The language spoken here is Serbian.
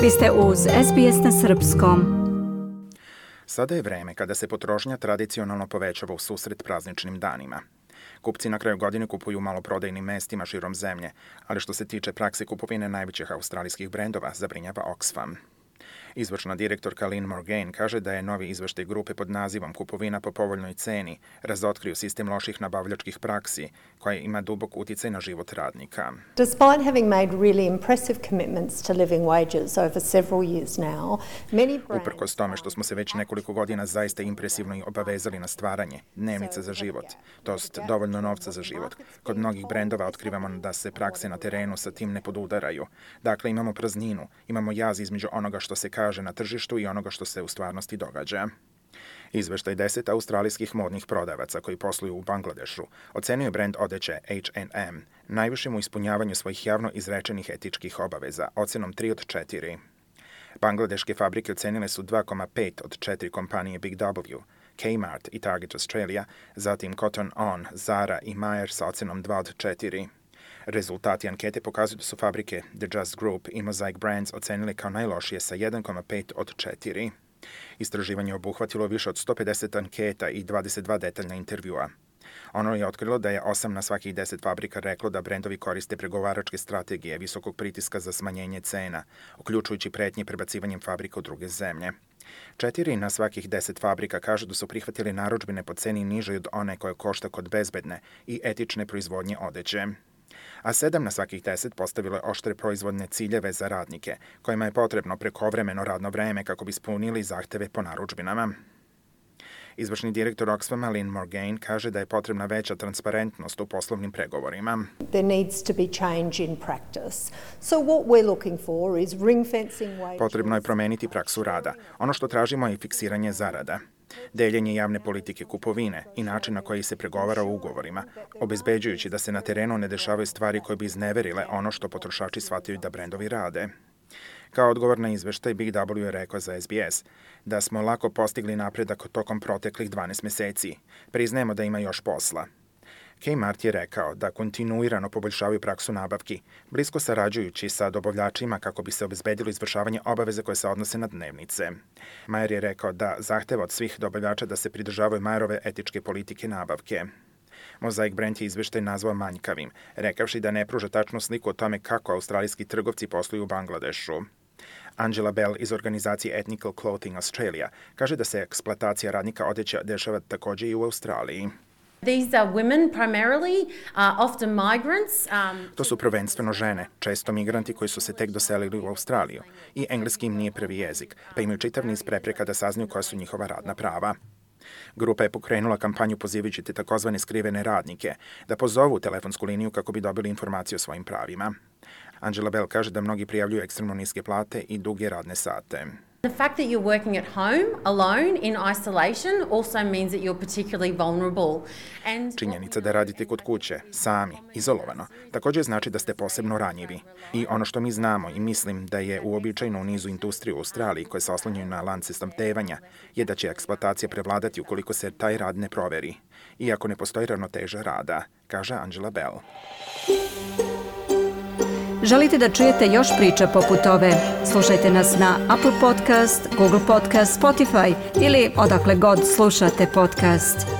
Vi ste uz SBS na srpskom. Sada je vreme kada se potrošnja tradicionalno povećava u susret prazničnim danima. Kupci na kraju godine kupuju u maloprodajnim mestima širom zemlje, ali što se tiče prakse kupovine najvećih australijskih brendova, zabrinjava Oxfam. Izvršna direktorka Lynn Morgaine kaže da je novi izveštaj grupe pod nazivom Kupovina po povoljnoj ceni razotkrio sistem loših nabavljačkih praksi koja ima dubok uticaj na život radnika. Despite having made really impressive commitments to living wages over several years now, Uprkos tome što smo se već nekoliko godina zaista impresivno i obavezali na stvaranje dnevnica za život, tost dovoljno novca za život, kod mnogih brendova otkrivamo da se prakse na terenu sa tim ne podudaraju. Dakle, imamo prazninu, imamo jaz između onoga što se kaže na tržištu i onoga što se u stvarnosti događa. Izveštaj 10 australijskih modnih prodavaca koji posluju u Bangladešu ocenio brend odeće H&M najvišim u ispunjavanju svojih javno izrečenih etičkih obaveza, ocenom 3 od 4. Bangladeške fabrike ocenile su 2,5 od 4 kompanije Big W, Kmart i Target Australia, zatim Cotton On, Zara i Myer sa ocenom 2 od 4. Rezultati ankete pokazuju da su fabrike The Just Group i Mosaic Brands ocenili kao najlošije sa 1,5 od 4. Istraživanje obuhvatilo više od 150 anketa i 22 detaljna intervjua. Ono je otkrilo da je 8 na svakih 10 fabrika reklo da brendovi koriste pregovaračke strategije visokog pritiska za smanjenje cena, uključujući pretnje prebacivanjem fabrika u druge zemlje. 4 na svakih 10 fabrika kažu da su prihvatili narudžbine po ceni nižoj od one koje košta kod bezbedne i etične proizvodnje odeće. A 7 na svakih 10 postavilo je oštre proizvodne ciljeve za radnike, kojima je potrebno prekovremeno radno vreme kako bi ispunili zahteve po narudžbinama. Izvršni direktor Oxfama Lynn Morgaine kaže da je potrebna veća transparentnost u poslovnim pregovorima. There needs to be change in practice. So what we're looking for is ring fencing wages. Potrebno je promeniti praksu rada. Ono što tražimo je fiksiranje zarada, deljenje javne politike kupovine i način na koji se pregovara u ugovorima, obezbeđujući da se na terenu ne dešavaju stvari koje bi izneverile ono što potrošači shvataju da brendovi rade. Kao odgovor na izveštaj, Big W je rekao za SBS da smo lako postigli napredak tokom proteklih 12 meseci. Priznajemo da ima još posla. Kmart je rekao da kontinuirano poboljšavaju praksu nabavki, blisko sarađujući sa dobavljačima kako bi se obezbedilo izvršavanje obaveze koje se odnose na dnevnice. Myer je rekao da zahteva od svih dobavljača da se pridržavaju Myerove etičke politike nabavke. Mosaic Brand je izveštaj nazvao manjkavim, rekavši da ne pruža tačnu sliku o tome kako australijski trgovci posluju u Bangladešu. Angela Bell iz organizacije Ethnical Clothing Australia kaže da se eksploatacija radnika odeće dešava takođe i u Australiji. These are women primarily, often migrants. To su prvenstveno žene, često migranti koji su se tek doselili u Australiju i engleski im nije prvi jezik, pa imaju čitav niz prepreka da saznaju koja su njihova radna prava. Grupa je pokrenula kampanju pozivajući te takozvane skrivene radnike da pozovu telefonsku liniju kako bi dobili informacije o svojim pravima. Angela Bell kaže da mnogi prijavljuju ekstremno niske plate i duge radne sate. The fact that you're working at home alone in isolation also means that you're particularly vulnerable. Činjenica da radite kod kuće, sami, izolovano, također znači da ste posebno ranjivi. I ono što mi znamo i mislim da je uobičajeno u nizu industrije u Australiji koje se oslanjaju na lance snabdevanja, je da će eksploatacija prevladati ukoliko se taj rad ne proveri, iako ne postoji ravnoteža rada, kaže Angela Bell. Želite da čujete još priča poput ove? Slušajte nas na Apple Podcast, Google Podcast, Spotify ili odakle god slušate podcast.